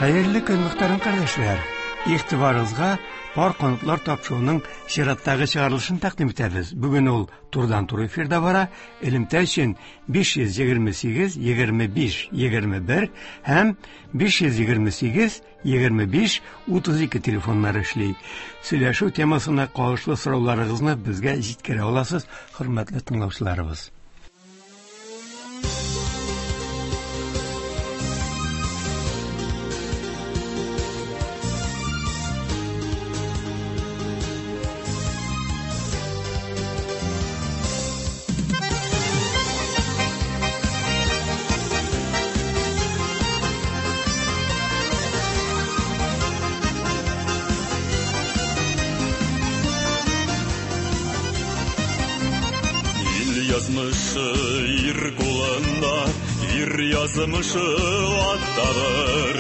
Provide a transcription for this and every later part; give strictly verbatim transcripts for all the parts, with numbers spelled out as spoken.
Хәерле көн, мөхтәрәм кардәшләр. Игътибарыгызга пар канатлар тапшыруының чираттагы чыгарылышын тәкъдим итәбез. Бүген ул турыдан-туры эфирда бара. Элемтә өчен биш йөз егерме сигез, егерме биш, егерме бер һәм биш йөз егерме сигез, егерме биш, утыз ике телефоннары эшли. Сөйләшү темасына кагылышлы сорауларыгызны безгә җиткерә аласыз, хөрмәтле тыңлаучыларыбыз. Язмышы ир кулында, ир язмышы аттадыр.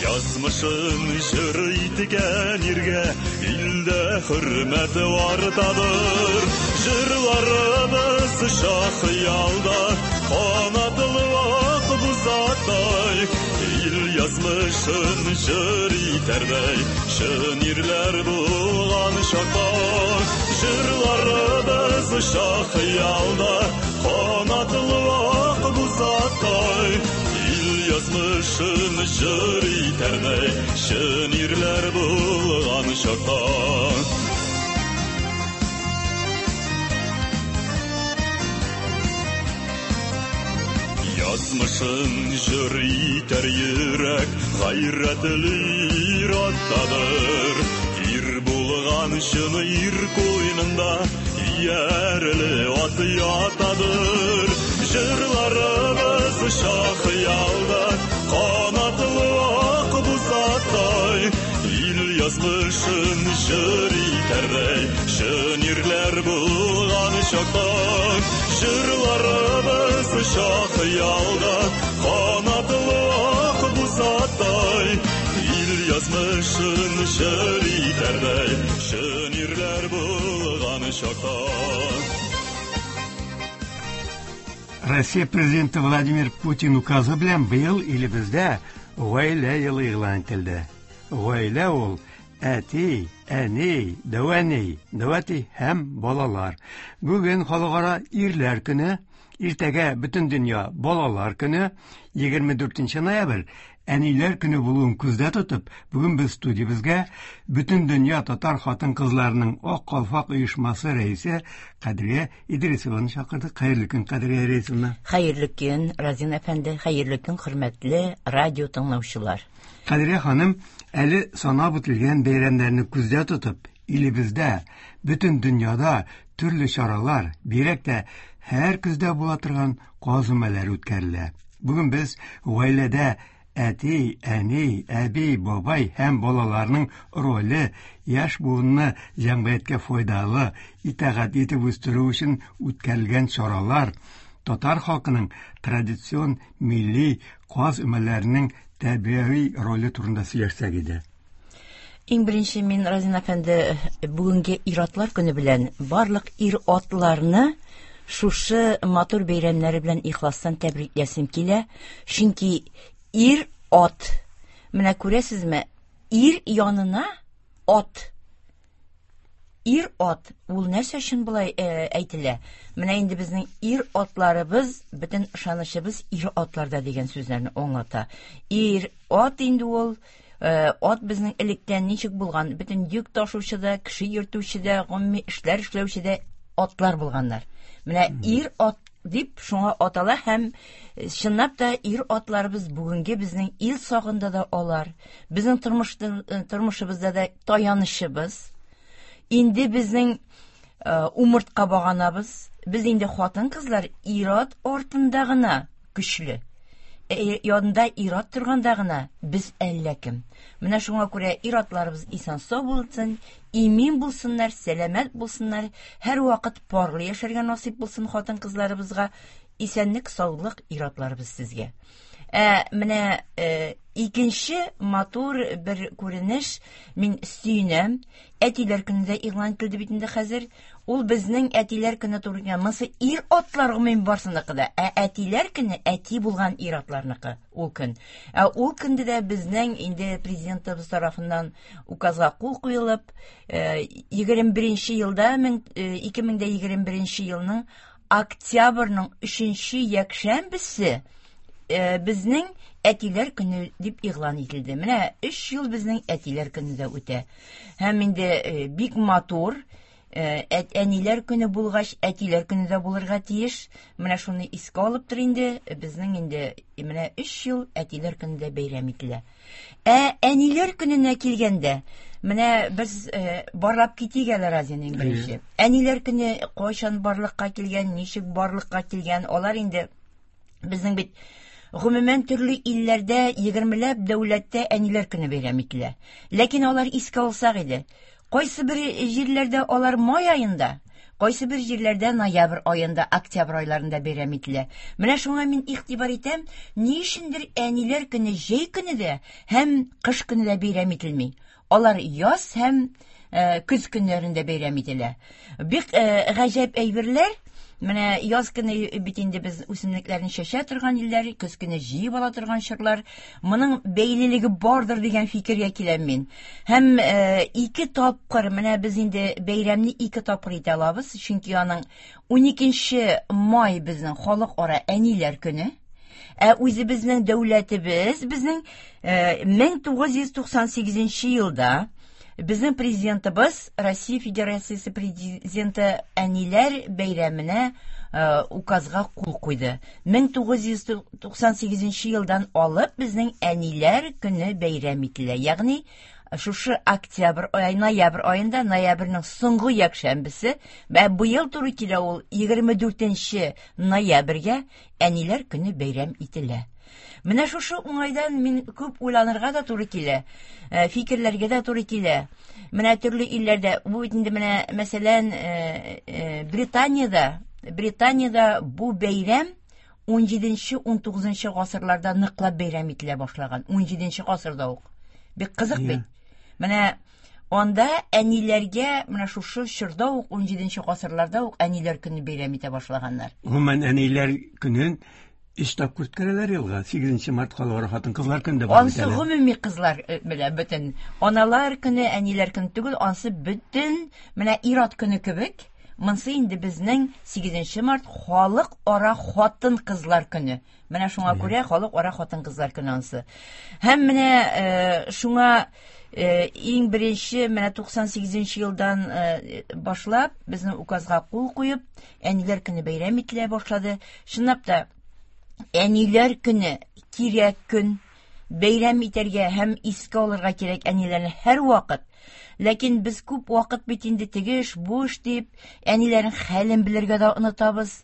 Язмышын җыр иткән иргә илдә хөрмәт артадыр. Җырларыбыз шахыялда, канатлы ак бузатай. Ил язмышын җыр итәрдәй, чын ирләр булган чакта. Җырларыбыз шахыялда, канатлы ак бузатай. Ил язмышын җыр итәрдәй, чын ирләр булган чакта. Язмышын җыр итәр йөрәк, гайрәтле ир аттадыр. Ир булган чын ир куенында иярле ат ятадыр. Җырларыбыз шахыялда, канатлы ак бузатай. Ил язмышын җыр итәрдәй, чын ирләр булган чакта. Җырларыбыз шахыялда, канатлы ак бузатай. Ил язмышын җыр итәрдәй, чын ирләр булган чакта. Россия президенты Владимир Путин указы белән быел илебездә гаилә елы игълан ителде. Гаилә ул әти, әни, дәү әни, дәү әти һәм балалар. Бүген халыкара ирләр көне, иртәгә бөтен дөнья балалар көне, егерме дүртенче ноябрь әниләр көне булуын күздә тотып, бүген без студиябезгә бөтен дөнья татар хатын-кызларының Ак калфак оешмасы рәисе Кадрия Идрисованы чакырдык. Хәерле көн, Кадрия Идрисовна. Хәерле көн, Разин әфәнде, хәерле көн, хөрмәтле радио тыңлаучылар. Кадрия ханым, әле санап үтелгән бәйрәмнәрне күздә тотып, илебездә, бөтен дөньяда төрле чаралар, бигрәк тә һәр көздә була торган каз өмәләре үткәрелә. Бүген без гаиләдә әти, әни, әби, бабай һәм балаларның роле, яшь буынны җәмгыятькә файдалы, итагать итеп үстерү өчен үткәрелгән чаралар, татар халкының традицион милли каз өмәләренең тәрбияви роле турында сөйләшсәк иде. Иң беренче мин, Разин әфәнде, бүгенге ир-атлар көне белән барлык ир-атларны шушы матур бәйрәмнәре белән ихластан тәбрикләсем килә. Чөнки ир-ат, менә күрәсезме, ир янына ат. Ир-ат, ул нәрсә өчен болай, э, әйтелә? Менә инде безнең ир-атларыбыз, бөтен ышанычыбыз ир-атларда дигән сүзләрне аңлата. Ир-ат инде ул, э, ат безнең электән ничек булган, бөтен йөк ташучы да, кеше йөртүче дә, гомуми эшләр эшләүче дә атлар булганнар. Менә ир-ат дип шуңа атала һәм чынлап та ир-атларыбыз бүгенге безнең ил сагында да алар, безнең тормышта, э, тормышыбызда да таянышыбыз. Инде безнең, э, умыртка баганабыз, без инде хатын-кызлар ир-ат артында гына көчле. Э, янында ир-ат торганда гына без әллә кем. Менә шуңа күрә ир-атларыбыз исән-сау булсын, имин булсыннар, сәламәт булсыннар, һәр вакыт парлы яшәргә насыйп булсын хатын-кызларыбызга. Исәнлек, саулык ир-атларыбыз сезгә. Ә менә э, икенче матур бер күренеш, мин сөенәм. Әтиләр көне дә игълан ителде бит инде хәзер. Ул безнең әтиләр көне туры килгән. Монысы ир-атлар гомумән барсыныкы да. Ә әтиләр көне әти булган ир-атларныкы ул көн. Ә ул көндә дә безнең инде президентыбыз тарафыннан указга кул куелып, егерме беренче елда, ике мең дә егерме беренче елның октябрьнең өченче якшәмбесе безнең әтиләр көне дип игълан ителде. Менә өч ел безнең әтиләр көне дә үтә. Һәм инде бик матур әниләр көне булгач, әтиләр көне дә булырга тиеш. Менә шуны искә алып тор инде, безнең инде менә өч ел әтиләр көне дә бәйрәм ителә. Ә әниләр көненә килгәндә, менә без барлап китик әле Разиның беренче. Әниләр көне кайчан барлыкка килгән, ничек барлыкка килгән, алар инде безнең бит гомумән төрле илләрдә егермеләп дәүләттә әниләр көне бәйрәм ителә. Ләкин алар искә алсак иде. Кайсы бер җирләрдә алар май аенда, кайсы бер җирләрдә ноябрь аенда, октябрь айларында бәйрәм ителә. Менә шуңа мин игътибар итәм, ни өчендер әниләр көне җәй көне дә һәм кыш көне дә бәйрәм ителми. Алар яз һәм көз көннәрендә бәйрәм ителә. Бик гаҗәп әйберләр. Менә яз көне бит инде без үсемлекләрне чәчә торган илләр, көз көне җыеп ала торган чорлар. Моның бәйлелеге бардыр дигән фикергә киләм мин. Һәм ике тапкыр менә без инде бәйрәмне ике тапкыр итә алабыз, чөнки аның уникенче май безнең халыкара әниләр көне. Ә үзебезнең дәүләтебез безнең мең тугыз йөз туксан сигезенче елда безнең президентыбыз, Россия Федерациясе президенты әниләр бәйрәменә указга кул куйды. мең тугыз йөз туксан сигезенче елдан алып безнең әниләр көне бәйрәм ителә. Ягъни шушы октябрь ай, ноябрь аенда, ноябрьнең соңгы якшәмбесе, вә быел туры килә ул егерме дүртенче ноябрьгә әниләр көне бәйрәм ителә. Менә шушы уңайдан мин күп уйланырга да туры килә, фикерләргә дә туры килә. Менә төрле илләрдә, бу бит инде менә, мәсәлән, Британиядә, Британиядә бу бәйрәм ун җиденче, ун тугызынчы гасырларда ныклап бәйрәм ителә башлаган. ун җиденче гасырда ук. Бик кызык бит. Менә анда әниләргә менә шушы чорда ук, ун җиденче гасырларда ук әниләр көне бәйрәм итә башлаганнар. Гомумән әниләр көнен өч тапкыр үткәрәләр елга. Сигезенче март халыкара хатын-кызлар көне дә бар бит Ансы әле. гомуми кызлар белә бөтен аналар көне, әниләр көне түгел, ансы бөтен менә ир-ат көне кебек. Монсы инде безнең сигезенче март халыкара хатын-кызлар көне. Менә шуңа күрә халыкара хатын-кызлар көне ансы. Һәм менә шуңа иң беренче менә туксан сигезенче елдан башлап безнең указга кул куеп, әниләр көне бәйрәм ителә башлады. Чынлап та әниләр көне кирәк көн, бәйрәм итәргә һәм искә алырга кирәк әниләрне һәр вакыт. Ләкин без күп вакыт бит инде теге эш, бу эш дип, әниләрнең хәлен белергә дә онытабыз.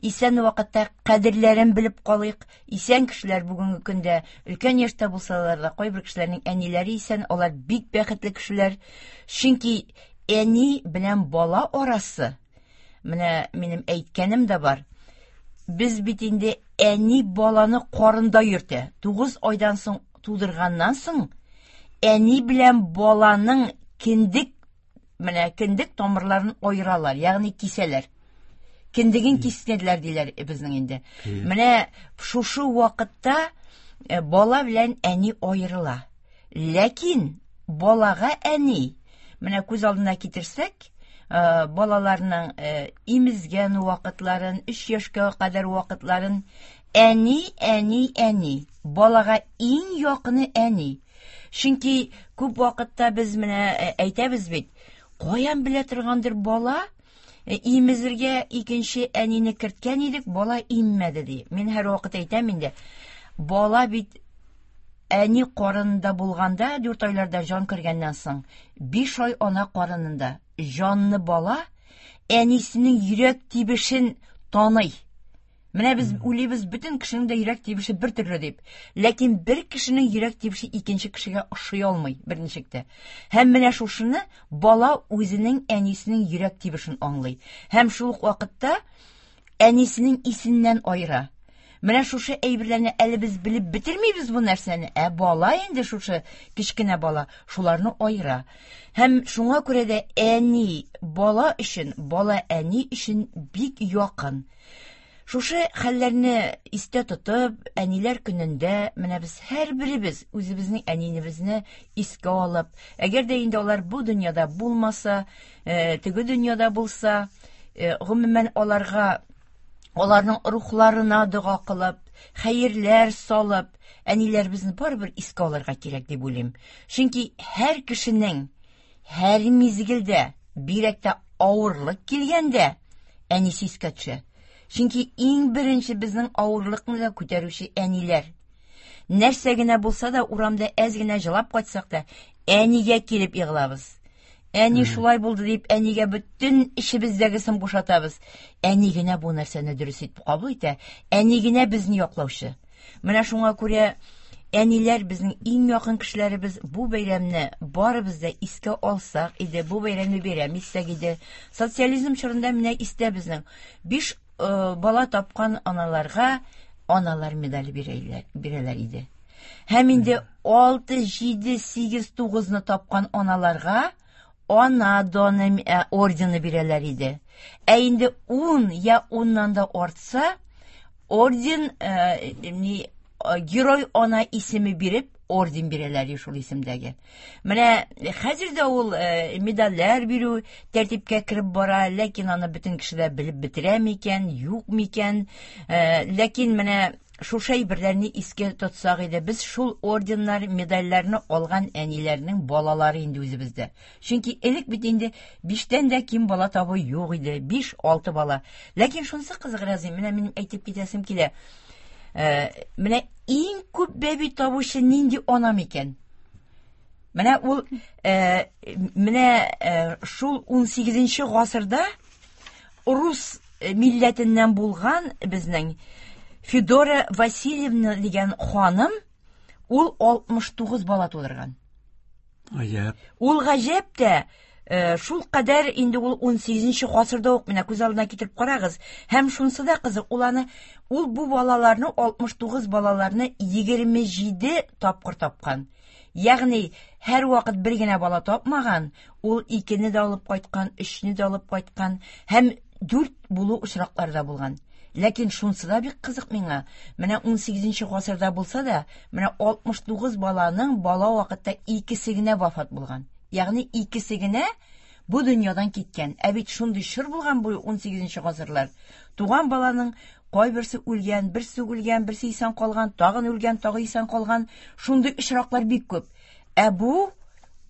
Исән вакытта кадерләрен белеп калыйк. Исән кешеләр бүгенге көндә өлкән яшьтә булсалар да, кайбер кешеләрнең әниләре исән, алар бик бәхетле кешеләр. Чөнки әни белән бала арасы, менә минем әйткәнем дә бар. Без бит инде әни баланы карында йөртә. Тугыз айдан соң тудырганнан соң әни белән баланың кендек, менә кендек тамырларын аералар, ягъни кисәләр. Кендеген кистеләр диләр безнең инде. Менә шушы вакытта бала белән әни аерыла. Ләкин балага әни, менә күз алдына китерсәк, балаларның имезгән вакытларын, өч яшькә кадәр вакытларын, әни, әни, әни, балага иң якыны әни. Чөнки күп вакытта без менә әйтәбез бит, каян белә торгандыр бала, имезергә икенче әнине керткән идек, бала иммәде ди. Мин һәр вакыт әйтәм инде, бала бит әни карынында булганда, дүрт айларда җан кергәннән соң, биш ай ана карынында җанны бала әнисенең йөрәк тибешен таный. Менә без уйлыйбыз, бөтен кешенең дә йөрәк тибеше бер төрле дип. Ләкин бер кешенең йөрәк тибеше икенче кешегә ошый алмый берничек тә. Һәм менә шушыны бала үзенең әнисенең йөрәк тибешен аңлый. Һәм шул ук вакытта әнисенең исеннән аера. Менә шушы әйберләрне әле без белеп бетермибез бу нәрсәне. Ә бала инде шушы кечкенә бала шуларны аера. Һәм шуңа күрә дә әни бала өчен, бала әни өчен бик якын. Шушы хәлләрне истә тотып, әниләр көнендә менә без һәрберебез үзебезнең әнинебезне искә алып, әгәр дә инде алар бу дөньяда булмаса, теге дөньяда булса, гомумән аларга, аларның рухларына дога кылып, хәерләр салып, әниләребезне барыбер искә алырга кирәк дип уйлыйм. Чөнки һәр кешенең һәр мизгелдә, бигрәк тә авырлык килгәндә, әнисе искә төшә. Чөнки иң беренче безнең авырлыкны да күтәрүче әниләр. Нәрсә генә булса да, урамда әз генә җылап кайтсак та, әнигә килеп егылабыз. Әни шулай булды дип, әнигә бөтен эчебездәгесен бушатабыз. Әни генә бу нәрсәне дөрес итеп кабул итә, әни генә безне яклаучы. Менә шуңа күрә әниләр безнең иң якын кешеләребез. Бу бәйрәмне барыбыз да искә алсак иде, бу бәйрәмне бәйрәм итсәк иде. Социализм чорында менә истә безнең биш бала тапкан аналарга аналар медале бирәләр, бирәләр иде. Һәм инде алты, җиде, сигез, тугызны тапкан аналарга ана доны ордены бирәләр иде. Ә инде ун я уннан да артса, орден, э, ни, герой ана исеме биреп, орден бирәләр шул исемдәге. Менә хәзер дә ул э, медальләр бирү тәртипкә кереп бара, ләкин аны бөтен кеше дә белеп бетерә микән, юк микән? Э, ләкин менә шушы әйберләрне искә тотсак иде, без шул орденнар, медальләрне алган әниләрнең балалары инде үзебездә. Чөнки элек бит инде биштән дә ким бала табу юк иде, биш, алты бала. Ләкин шунысы кызык, Разим, менә минем әйтеп китәсем килә. Э, менә иң күп бәби табучы нинди ана микән? Менә ул, э, менә э, шул унсигезенче гасырда рус милләтеннән булган безнең Федора Васильевна дигән ханым, ул алтмыш тугыз бала тудырган. Гаҗәп. Ул гаҗәп тә, шул кадәр инде ул унсигезенче гасырда ук, менә күз алдына китереп карагыз. Һәм шунысы да кызык, ул аны, ул бу балаларны, алтмыш тугыз балаларны егерме җиде тапкыр тапкан. Ягъни һәр вакыт бер генә бала тапмаган, ул икене дә алып кайткан, өчне дә алып кайткан һәм дүрт булу очраклары да булган. Ләкин шунысы да бик кызык миңа. Менә унсигезенче гасырда булса да, менә алтмыш тугыз баланың бала вакытта икесе генә вафат булган. Ягъни икесе генә бу дөньядан киткән. Ә бит шундый чор булган бу унсигезенче гасырлар. Туган баланың кайберсе үлгән, берсе үлгән, берсе исән калган, тагын үлгән, тагы исән калган. Шундый очраклар бик күп. Ә бу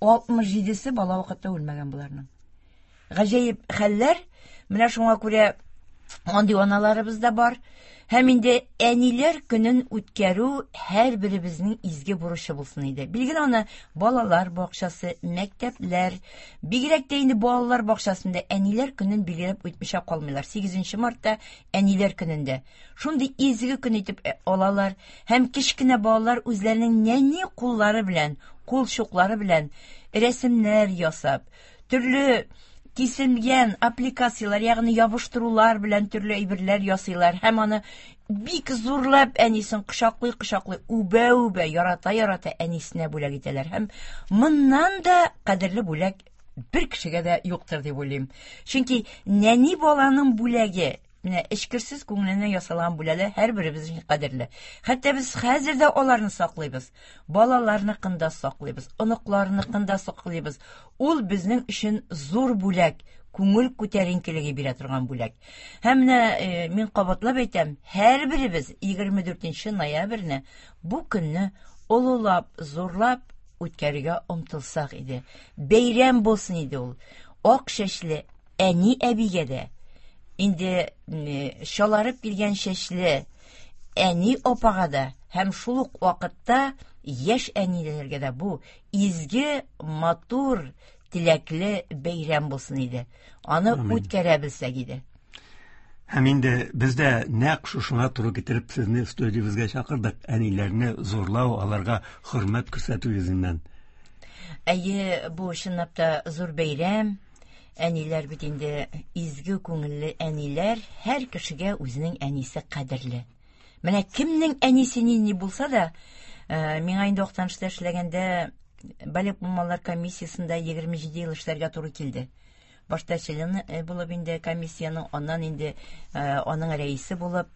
алтмыш җидесе бала вакытта үлмәгән буларның. Гаҗәеп хәлләр. Менә шуңа күрә андый аналарыбыз да бар. Һәм инде әниләр көнен үткәрү һәр беребезнең изге бурычы булсын иде. Билгеле аны балалар бакчасы, мәктәпләр, бигрәк тә инде балалар бакчасында әниләр көнен билгеләп үтмичә калмыйлар. Сигезенче мартта әниләр көнендә шундый изге көн итеп алалар һәм кечкенә балалар үзләренең нәни куллары белән, кул чуклары белән рәсемнәр ясап, төрле киселгән аппликацияләр, ягъни ябыштырулар белән төрле әйберләр ясыйлар һәм аны бик зурлап әнисен кочаклый-кочаклый, үбә-үбә, ярата-ярата әнисенә бүләк итәләр. Һәм моннан да кадерле бүләк бер кешегә дә юктыр дип уйлыйм. Чөнки нәни баланың бүләге, менә эчкерсез күңеленнән ясалган бүләләр һәрберебез өчен кадерле. Хәтта без хәзер дә аларны саклыйбыз. Балаларныкын да саклыйбыз, оныкларныкын да саклыйбыз. Ул безнең өчен зур бүләк, күңел күтәренкелеге бирә торган бүләк. Һәм менә, э, мин кабатлап әйтәм, һәрберебез егерме дүртенче ноябрьне бу көнне олылап, зурлап үткәрергә омтылсак иде. Бәйрәм булсын иде ул. Ак чәчле әни әбигә дә, инде, м, чаларып килгән чәчле әни апага да һәм шул ук вакытта яшь әниләргә дә бу изге, матур, теләкле бәйрәм булсын иде. Аны Амин. үткәрә белсәк иде. Һәм инде без дә нәкъ шушыңа туры китереп сезне студиябезгә чакырдык. Әниләрне зурлау, аларга хөрмәт күрсәтү йөзеннән. Әйе, бу чынлап та зур бәйрәм. Әниләр бит инде изге күңелле әниләр, һәр кешегә үзенең әнисе кадерле. Менә кемнең әнисе нинди булса да, э, миңа инде Актанышта эшләгәндә балигъ булмаганнар комиссиясендә егерме җиде ел эшләргә туры килде. Башта члены э, булып инде комиссиянең, аннан инде э, аның рәисе булып.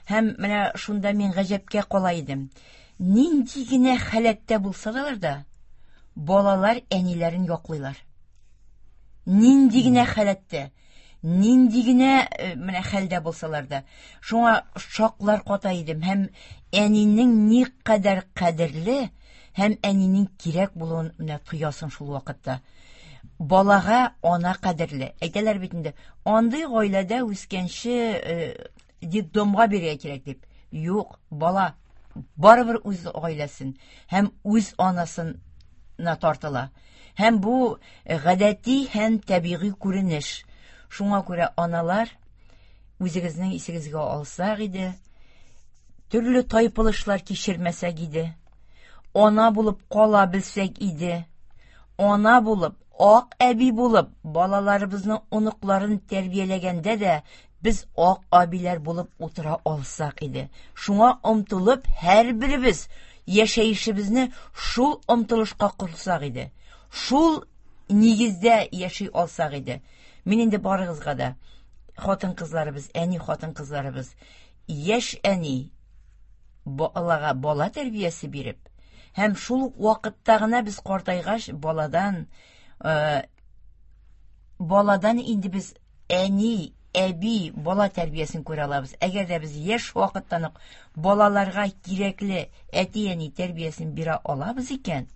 Һәм менә шунда мин гаҗәпкә кала идем. Нинди генә халәттә булсалар да, балалар әниләрен яклыйлар. Нинди генә халәттә, нинди генә э, менә хәлдә булсалар да, шуңа шаклар ката идем. Һәм әнинең ни кадәр кадерле һәм әнинең кирәк булуын менә тоясың шул вакытта. Балага ана кадерле. Әйтәләр бит инде, андый гаиләдә үскәнче э, детдомга бирергә кирәк дип. Юк, бала барыбер үз гаиләсен һәм үз анасына тартыла. Һәм бу гадәти һәм табигый күренеш. Шуңа күрә аналар, үзегезнең исегезгә алсак иде, төрле тайпылышлар кичермәсәк иде, ана булып кала белсәк иде, ана булып, ак әби булып, балаларыбызның оныкларын тәрбияләгәндә дә без ак әбиләр булып утыра алсак иде. Шуңа омтылып, һәрберебез яшәешебезне шул омтылышка корсак иде. Шул нигездә яши алсак иде. Мин инде барыгызга да, хатын-кызларыбыз, әни хатын-кызларыбыз, яшь әни балага бала тәрбиясе биреп, һәм шул ук вакытта гына без картайгач баладан, э, баладан инде без әни, әби, бала тәрбиясен күрә алабыз. Әгәр дә без яшь вакыттан ук балаларга кирәкле әти-әни тәрбиясен бирә алабыз икән,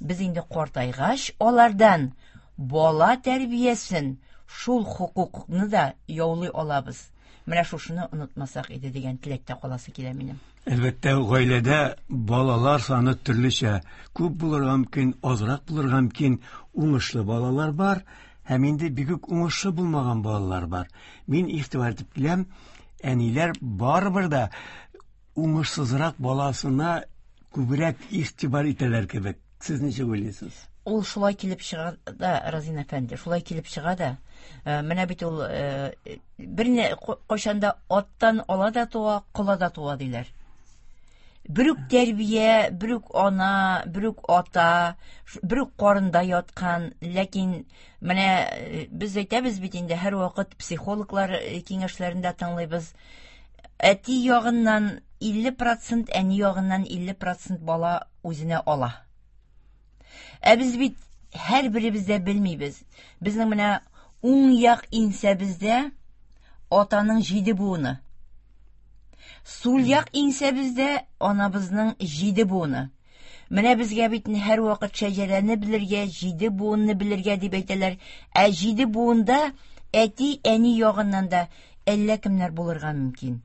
без инде картайгач алардан бала тәрбиясен, шул хокукны да яулый алабыз. Менә шушыны онытмасак иде дигән теләктә каласы килә минем. Әлбәттә, гаиләдә балалар саны төрлечә. Күп булырга мөмкин, азрак булырга мөмкин. Уңышлы балалар бар һәм инде бик үк уңышлы булмаган балалар бар. Мин игътибар итеп киләм, әниләр барыбер дә уңышсызрак баласына күбрәк игътибар итәләр кебек. Сез ничек уйлыйсыз? Ул шулай килеп чыга да, Разин әфәнде, шулай килеп чыга да. Э, менә бит ул э, берне кайчан да аттан ала да туа, кола да туа диләр. Бер үк тәрбия, бер үк ана, бер үк ата, бер үк карында яткан, ләкин менә э, без әйтәбез бит инде, һәрвакыт психологлар киңәшләрен дә тыңлыйбыз. Әти ягыннан илле процент, әни ягыннан илле процент бала үзенә ала. Ә без бит һәрберебез дә белмибез. Безнең менә уң як иңсәбездә атаның җиде буыны. Сул як иңсәбездә анабызның җиде буыны. Менә безгә бит һәрвакыт шәҗәрәне белергә, җиде буынны белергә дип әйтәләр. Ә җиде буында әти, әни ягыннан да әллә кемнәр булырга мөмкин.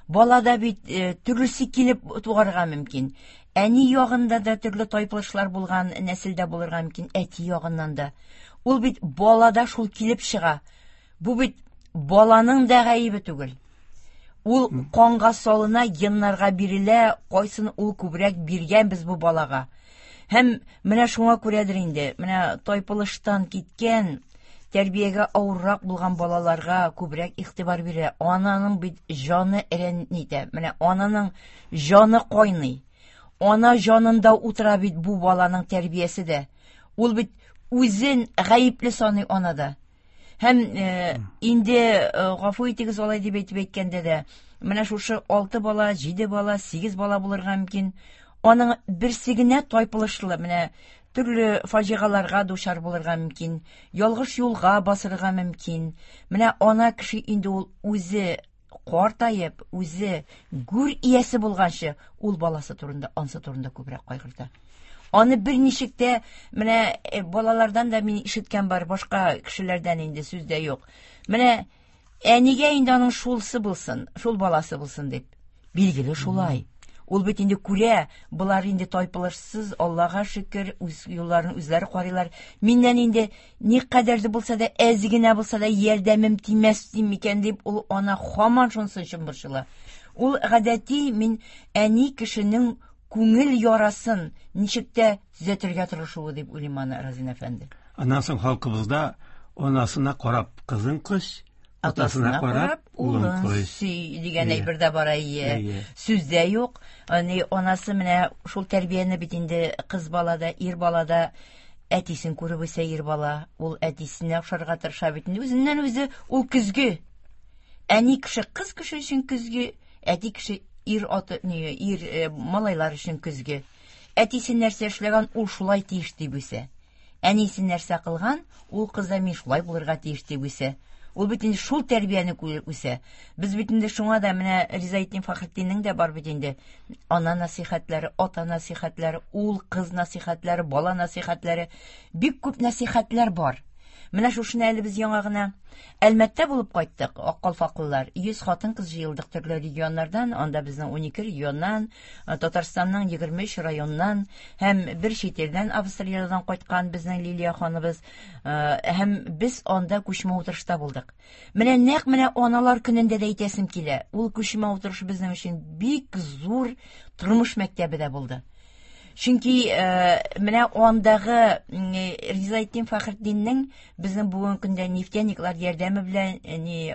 Балада бит э, төрлесе килеп туарга мөмкин. Әни ягында да төрле тайпылышлар булган нәселдә булырга мөмкин, әти ягыннан да. Ул бит балада шул килеп чыга. Бу бит баланың да гаебе түгел. Ул канга салына, геннарга бирелә, кайсын ул күбрәк биргән без бу балага. Һәм менә шуңа күрәдер инде, менә тайпылыштан киткән, тәрбиягә авыррак булган балаларга күбрәк игътибар бирә. Ананың бит җаны әрәнитә. Менә ананың җаны кайный. Ана җанында утыра бит бу баланың тәрбиясе дә. Ул бит үзен гаепле саный анада. Һәм э, инде э, гафу итегез алай дип әйтеп әйткәндә дә, менә шушы алты бала, җиде бала, сигез бала булырга мөмкин. Аның берсе генә тайпылышлы, менә төрле фаҗигаларга дучар булырга мөмкин, ялгыш юлга басырга мөмкин. Менә ана кеше инде ул үзе картаеп, үзе гүр иясе булганчы, ул баласы турында, ансы турында күбрәк кайгырта. Аны берничек тә, менә э, балалардан да мин ишеткән бар, башка кешеләрдән инде сүз дә юк. Менә әнигә инде аның шулсы булсын, шул баласы булсын дип. Билгеле шулай. Ул бит инде күрә, болар инде тайпылышсыз, Аллага шөкер, үз юлларын үзләре карыйлар. Миннән инде ни кадәр дә булса да, әз генә булса да ярдәмем тимәс микән дип, ул ана һаман шунысы өчен борчыла. Ул гадәти мин әни кешенең күңел ярасын ничек тә төзәтергә тырышуы дип уйлыйм аны, Разин әфәнде. Аннан соң халкыбызда анасына карап кызын коч, Атасына карап, улын кой сөй дигән әйбер дә бар, әйе. Сүз дә юк. Ни анасы менә шул тәрбияне бит инде кыз балада, ир балада әтисен күреп үсә ир бала, ул әтисенә охшарга тырыша бит инде. Үзеннән үзе ул көзге. Әни кеше кыз кеше өчен көзге, әти кеше ир аты, ни, ир малайлар өчен көзге. Әтисе нәрсә эшләгән, ул шулай тиеш дип үсә. Әнисе нәрсә кылган, ул кыз да мин шулай булырга тиеш дип үсә. Ул бит инде шул тәрбияне күреп үсә. Без бит инде шуңа да менә Ризаэтдин Фәхретдиннең дә бар бит инде ана насихәтләре, ата насихәтләре, ул кыз насихәтләре, бала насихәтләре, бик күп насихәтләр бар. Менә шушыны әле без яңа гына Әлмәттә булып кайттык, Аккалфаклылар. йөз хатын-кыз җыелдык төрле регионнардан, анда безнең ун ике регионнан, Татарстанның егерме өч районнан һәм бер чит илдән, Австриядән кайткан безнең Лилия ханыбыз, һәм без анда күчмә утырышта булдык. Менә нәкъ менә аналар көнендә дә әйтәсем килә. Ул күчмә утырыш безнең өчен бик зур тормыш мәктәбе дә булды. Чөнки менә андагы Ризаэтдин Фәхретдиннең безнең бүгенге көндә нефтяниклар ярдәме белән ни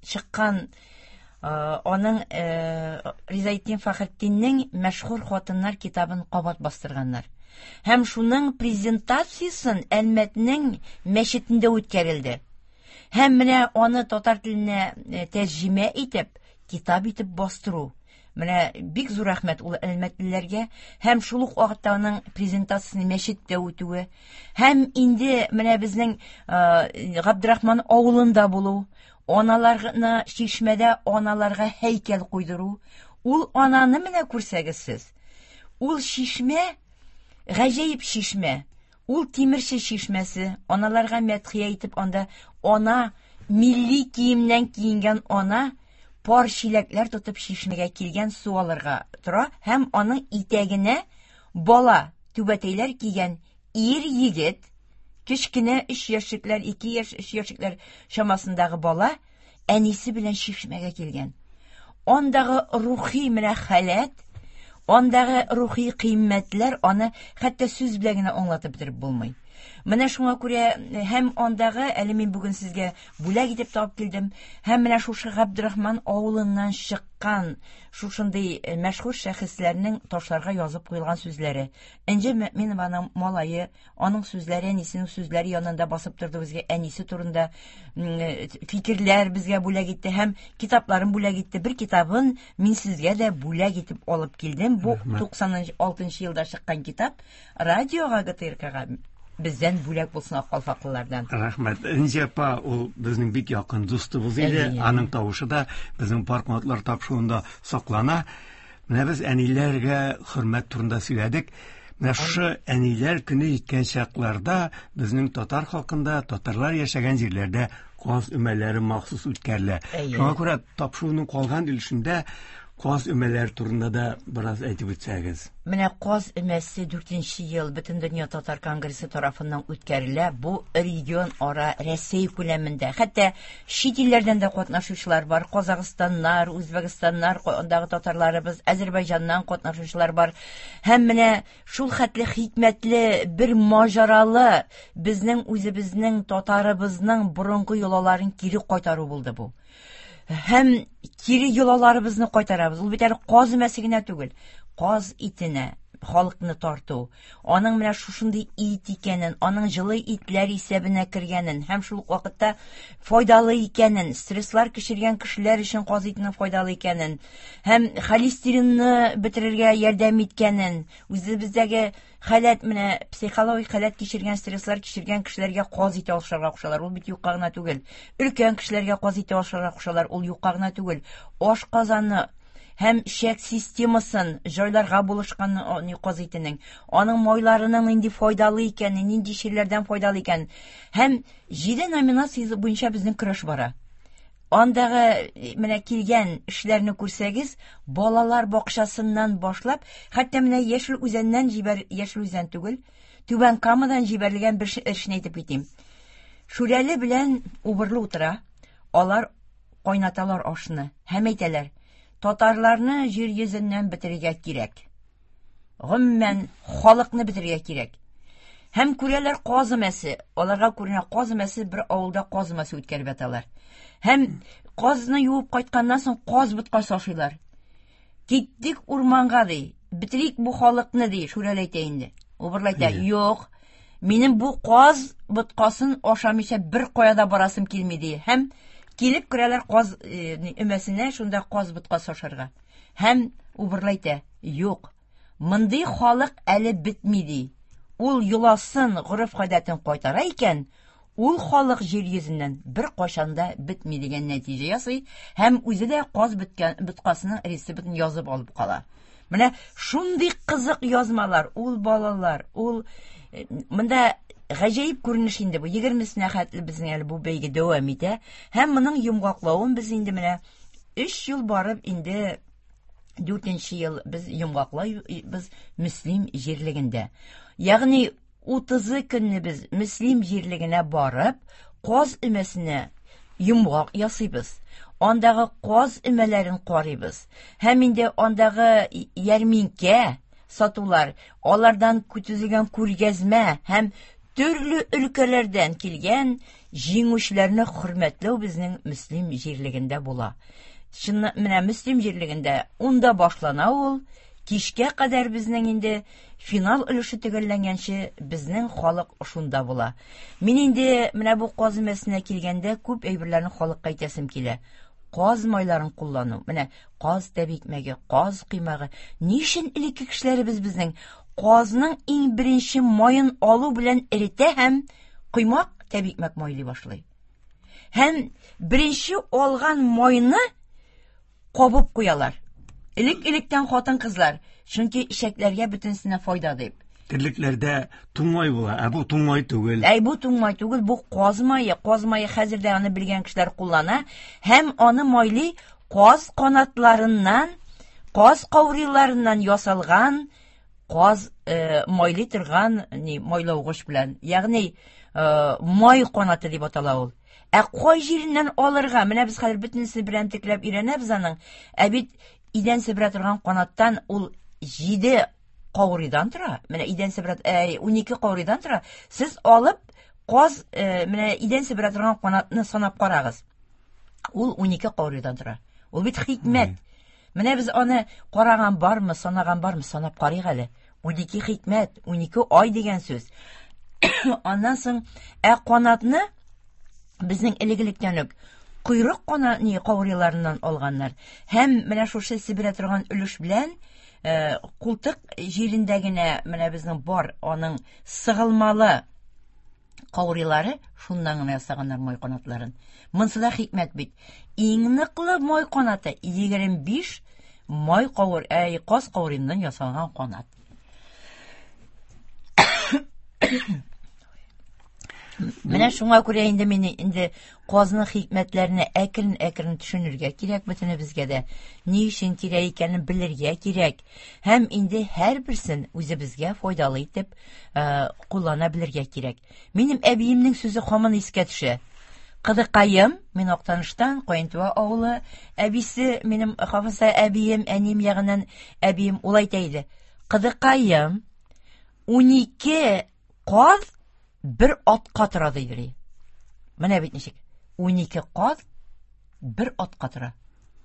чыккан аның Ризаэтдин Фәхретдиннең мәшһүр хатыннар китабын кабат бастырганнар. Һәм шуның презентациясын Әлмәтнең мәчетендә үткәрелде. Һәм менә аны татар теленә тәрҗемә итеп, китап итеп бастыру. Менә бик зур рәхмәт ул әлмәтлеләргә һәм шул ук вакытта аның презентациясен мәчеттә үтүе. Һәм инде менә безнең Габдрахман авылында булу, аналарны чишмәдә аналарга һәйкәл куйдыру. Ул ананы менә күрсәгез сез. Ул чишмә, гаҗәеп чишмә. Ул тимерче чишмәсе. Аналарга мәдхия итеп анда ана милли киемнән киенгән ана пар чиләкләр тотып чишмәгә килгән су алырга тора һәм аның итәгенә бала түбәтәйләр кигән ир егет, кечкенә өч яшьлекләр, ике яшь, өч яшьлекләр чамасындагы бала әнисе белән чишмәгә килгән. Андагы рухи менә халәт, андагы рухи кыйммәтләр аны хәтта сүз белән генә аңлатып бетереп булмый. Менә шуңа күрә һәм андагы, әле мин бүген сезгә бүләк итеп табып килдем, һәм менә шушы Габдрахман авылыннан чыккан шушындый мәшһүр шәхесләрнең ташларга язып куелган сүзләре. Энҗе Мөминованың малае, аның сүзләре, әнисенең сүзләре янында басып торды безгә, әнисе турында фикерләр безгә бүләк итте һәм китапларын бүләк итте. Бер китабын мин сезгә дә бүләк итеп алып килдем. Бу туксан алтынчы елда чыккан китап радиога, ГТРКга бездән бүләк булсын аккалфаклылардан. Рәхмәт. Энҗе апа ул безнең бик якын дустыбыз иде. Аның тавышы да безнең Парк Матлар тапшыруында саклана. Менә без әниләргә хөрмәт турында сөйләдек. Менә шушы әниләр көне җиткән чакларда безнең татар халкында, татарлар яшәгән җирләрдә каз өмәләре махсус үткәрелә. Шуңа күрә тапшыруның калган өлешендә каз өмәләре турында да бераз әйтеп үтсәгез. Менә каз өмәсе дүртенче ел Бөтендөнья татар конгрессы тарафыннан үткәрелә. Бу регион ара Рәсәй күләмендә. Хәтта чит илләрдән дә катнашучылар бар. Казахстаннар, Үзбәкстаннар, андагы татарларыбыз, Азербайҗаннан катнашучылар бар. Һәм менә шул хәтле хикмәтле бер маҗаралы безнең үзебезнең татарыбызның борынгы йолаларын кире кайтару булды бу. Һәм кире йолаларыбызны кайтарабыз. Ул бит әле каз өмәсе генә түгел. Каз итенә халыкны тарту, аның менә шушындый ит икәнен, аның җылы итләр исәбенә кергәнен һәм шул ук вакытта файдалы икәнен, стресслар кичергән кешеләр өчен каз итенең файдалы икәнен һәм холестеринны бетерергә ярдәм иткәнен, үзебездәге халәт менә психологик халәт кичергән, стресслар кичергән кешеләргә каз ите ашарга кушалар. Ул бит юкка гына түгел. Өлкән кешеләргә каз ите ашарга кушалар. Ул юкка гына түгел. Аш казаны һәм шәк системасын җайларга булышкан каз итенең, аның майларының нинди файдалы икәнен, нинди чирләрдән файдалы икәнен. Һәм җиде номинация буенча безнең көрәш бара. Андагы менә килгән эшләрне күрсәгез, балалар бакчасыннан башлап, хәтта менә Яшел Үзәннән җибәр, Яшел Үзән түгел, Түбән Камадан җибәрелгән бер эшне әйтеп китим. Шүрәле белән убырлы утыра, алар кайнаталар ашны һәм әйтәләр: татарларны җир йөзеннән бетерергә кирәк. Гомумән, халыкны бетерергә кирәк. Һәм күрәләр каз өмәсе, аларга күренә каз өмәсе, бер авылда каз өмәсе үткәреп яталар. Һәм казны юып кайтканнан соң каз боткасы ашыйлар. Киттек урманга ди, бетерик бу халыкны ди, Шүрәле әйтә инде. Убырлы әйтә, юк, минем бу каз боткасын ашамыйча бер кая да барасым килми ди. Һәм килеп керәләр каз өмәсенә, шунда каз боткасы ашарга. Һәм Убырлы әйтә, юк, мондый халык әле бетми ди. Ул йоласын, гореф-гадәтен кайтара икән, ул халык җир йөзеннән бер кайчан да бетми дигән нәтиҗә ясый һәм үзе дә каз беткән боткасының рецептын язып алып кала. Менә шундый кызык язмалар, ул балалар, ул монда гаҗәеп күренеш инде бу. Егермесенә хәтле безнең әле бу бәйге дәвам итә һәм моның йомгаклавын без инде менә өч ел барып инде дүртенче ел без йомгаклайбыз Мөслим җирлегендә. Ягъни утызы көнне без Мөслим җирлегенә барып, каз өмәсенә йомгак ясыйбыз. Андагы каз өмәләрен карыйбыз. Һәм инде андагы ярминкә сатулар, алардан көтелгән күргәзмә һәм төрле өлкәләрдән килгән җиңүчеләрне хөрмәтләү безнең Мөслим җирлегендә була. Чыннан менә Мөслим җирлегендә унда башлана ул, кичкә кадәр безнең инде финал өлеше төгәлләнгәнче безнең халык шунда була. Мин инде менә бу каз өмәсенә килгәндә күп әйберләрне халыкка әйтәсем килә. Каз майларын куллану, менә каз тәбикмәге, каз кыймагы. Ни өчен элекке кешеләребез безнең казның иң беренче маен алу белән эретә һәм коймак тәбикмәк майлый башлый. Һәм беренче алган майны кабып куялар. Элек-электән хатын-кызлар, чөнки эчәкләргә бөтенесенә файда дип. Терлекләрдә туңмай була, ә бу туңмай түгел. Әй, бу туңмай түгел, бу каз мае. Каз мае хәзер дә аны белгән кешеләр куллана һәм аны майлый каз канатларыннан, каз каурыйларыннан ясалган каз, э, майлый торган ни майлаугыч белән. Ягъни, э, май канаты дип атала ул. Ә кай җиреннән алырга? Менә без хәзер бөтенесен берәмтекләп өйрәнәбез аның. Ә бит идән себерә торган канаттан ул җиде каурыйдан тора. Менә идән себерә, ә, унике каурыйдан тора. Сез алып каз, э, менә идән себерә торган канатны санап карагыз. Ул унике каурыйдан тора. Ул бит хикмәт. Менә без аны караган бармы, санаган бармы, санап карыйк әле. Унике хикмәт, унике ай дигән сүз. Аннан соң, ә канатны безнең элек-электән үк койрык кана ни каурыйларыннан алганнар. Һәм менә шушы себерә торган өлеш белән, э, култык җирендә генә менә безнең бар аның сыгылмалы каурыйлары, шуннан гына ясаганнар май канатларын. Монсы да хикмәт бит. Иң ныклы май канаты егерме биш май каур, әй, каз каурыйыннан ясалган канат. Менә шуңа күрә инде мин инде казның хикмәтләренә әкрен-әкрен төшенергә кирәк бөтенебезгә дә. Ни өчен кирәк икәнен белергә кирәк. Һәм инде һәрберсен үзебезгә файдалы итеп, э, куллана белергә кирәк. Минем әбиемнең сүзе һаман искә төшә. Кыдыкаем, мин Актаныштан, Каентуа авылы әбисе, минем Хафиза әбием, әнием ягыннан әбием ул әйтә иде. Кыдыкаем, унике каз бер атка тора диде. Менә бит ничек. Унике каз бер атка тора.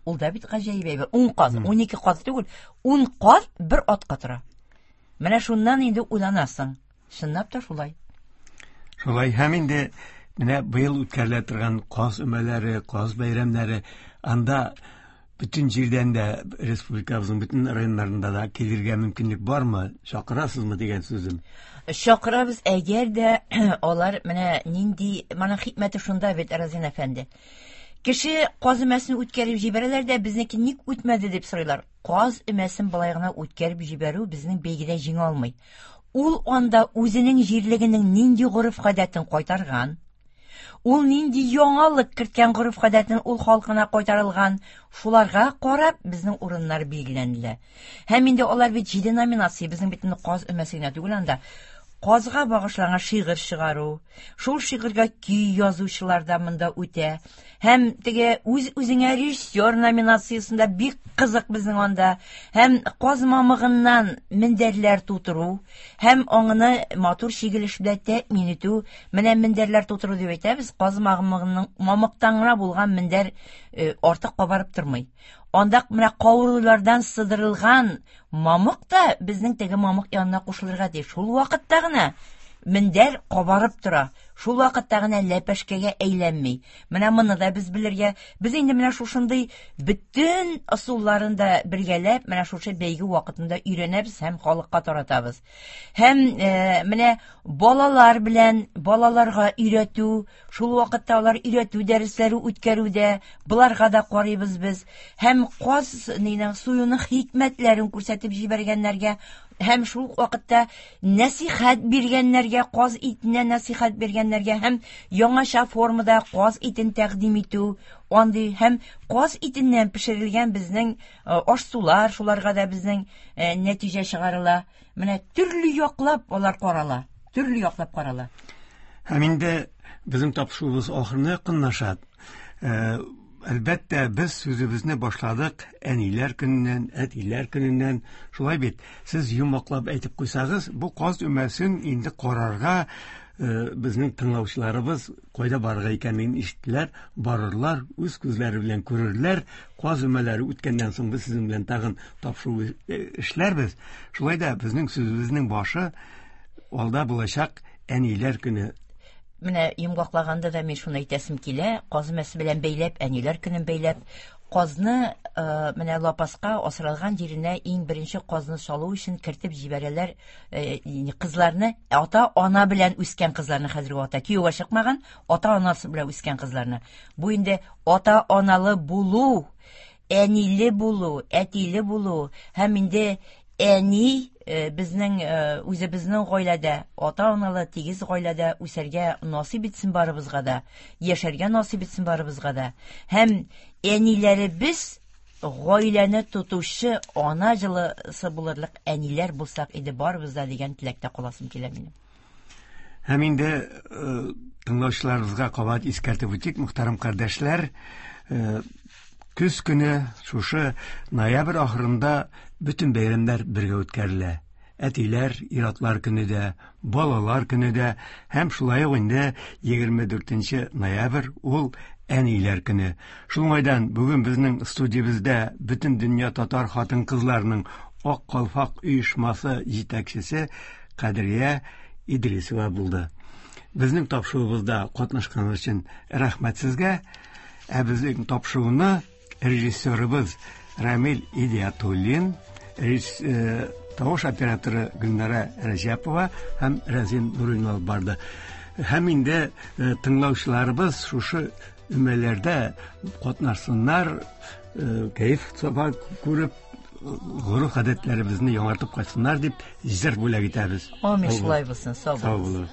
Ул да бит гаҗәеп әйбер. Ун каз, унике каз түгел, ун каз бер атка тора. Менә шуннан инде уйланасың. Чынлап та шулай. Шулай һәм инде менә быел үткәрелә торган каз өмәләре, каз бәйрәмнәре, анда бөтен җирдән дә республикабызның бөтен районнарында да килергә мөмкинлек бармы? Чакырасызмы дигән сүзем. Чакырабыз, әгәр дә алар менә нинди, моның хикмәте шунда бит, Разин әфәнде. Кеше каз өмәсен үткәреп җибәрәләр дә, безнеке ник үтмәде дип сорыйлар. Каз өмәсен болай гына үткәреп җибәрү безнең бәйгедә җиңә алмый. Ул анда үзенең җирлегенең нинди гореф-гадәтен кайтарган, ул нинди яңалык керткән гореф-гадәтен ул халкына кайтарылган, шуларга карап безнең урыннар билгеләнелә. Һәм инде алар бит җиде номинация, безнең бит инде каз өмәсе генә түгел анда. Казга багышланган шигырь чыгару, шул шигырьгә көй язучылар да монда үтә. Һәм теге үз-үзеңә режиссер номинациясендә бик кызык безнең анда. Һәм каз мамыгыннан мендәрләр тутыру, һәм аңны матур чигелеш белән тәэмин итү. Менә мендәрләр тутыру дип әйтәбез, каз мамыгының мамыктан гына булган мендәр артык кабарып тормый. Анда менә кавырулардан сыдырылган мамык та безнең теге мамык янына кушылырга тиеш. Шул вакытта гына мендәр кабарып тора. Шул вакытта гына ләпәшкәгә әйләнми. Менә моны да без белергә, без инде менә шушындый бөтен ысулларын да бергәләп, менә шушы бәйге вакытында өйрәнәбез һәм халыкка таратабыз. Һәм э, менә балалар белән балаларга өйрәтү, шул вакытта алар өйрәтү дәресләре үткәрүдә, буларга да карыйбыз без. Һәм каз нинең суюның хикмәтләрен күрсәтеп җибәргәннәргә, һәм шул вакытта нәсихәт биргәннәргә, каз итенә нәсихәт биргәннәргә һәм яңача формада каз итен тәкъдим итү, андый һәм каз итеннән пешерелгән безнең аш-сулар, шуларга да безнең нәтиҗә чыгарыла. Менә төрле яклап алар карала, төрле яклап карала. Һәм инде безнең тапшыруыбыз ахырына якынлаша. Әлбәттә, без сүзебезне башладык әниләр көненнән, әтиләр көненнән. Шулай бит, сез йомгаклап әйтеп куйсагыз, бу каз өмәсен инде карарга безнең тыңлаучыларыбыз кайда барырга икәнен ишеттеләр, барырлар, үз күзләре белән күрерләр. Каз өмәләре үткәннән соң без сезнең белән тагын тапшыру эшләрбез. Шулай да безнең сүзебезнең башы алда булачак әниләр көне. Менә йомгаклаганда да мин шуны әйтәсем килә, каз өмәсе белән бәйләп, әниләр көнен бәйләп, казны менә лапаска асралган җиренә иң беренче казны салу өчен кертеп җибәрәләр кызларны, ата-ана белән үскән кызларны, хәзерге вакытта кияүгә чыкмаган, ата-анасы белән үскән кызларны. Бу инде ата-аналы булу, әниле булу, әтиле булу һәм инде әни безнең үзебезнең гаиләдә, ата-аналы тигез гаиләдә үсәргә насыйп итсен барыбызга да, яшәргә насыйп итсен барыбызга да. Һәм әниләребез гаиләне тотучы ана җылысы булырлык әниләр булсак иде барыбыз да дигән теләктә каласым килә минем. Һәм инде тыңлаучыларыбызга кабат искәртеп үтик, мөхтәрәм кардәшләр, көз көне шушы ноябрь ахырында бөтен бәйрәмнәр бергә үткәрелә. Әтиләр, ир-атлар көне дә, балалар көне дә, һәм шулай ук инде егерме дүртенче ноябрь ул әниләр көне. Шул уңайдан бүген безнең студиябездә бөтен дөнья татар хатын-кызларының Ак калфак оешмасы җитәкчесе Кадрия Идрисова булды. Безнең тапшыруыбызда катнашкан өчен рәхмәт сезгә. Ә безнең тапшыруны режиссерыбыз Рамил Идиатуллин, тавыш операторы Гөлнара Рәҗәпова һәм Рәзин Нуруллин алып барды. Һәм инде тыңлаучыларыбыз шушы өмәләрдә катнашсыннар, кәеф сафа күреп, гореф-гадәтләребезне яңартып кайтсыннар дип җыр бүләк итәбез. Амин, шулай булсын, сау булыгыз.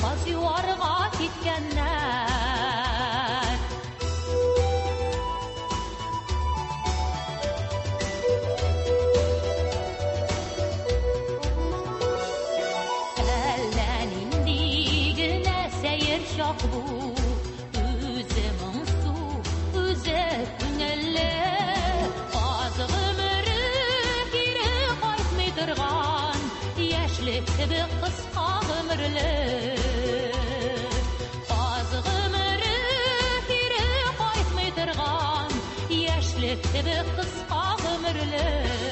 Каз юарга киткәннәр. Әллә нинди генә сәер чак бу, үзе моңсу, үзе күңелле. Каз гомере кире кайтмый торган, яшьлек кебек кыска гомерле. Кебек кыска гомерле.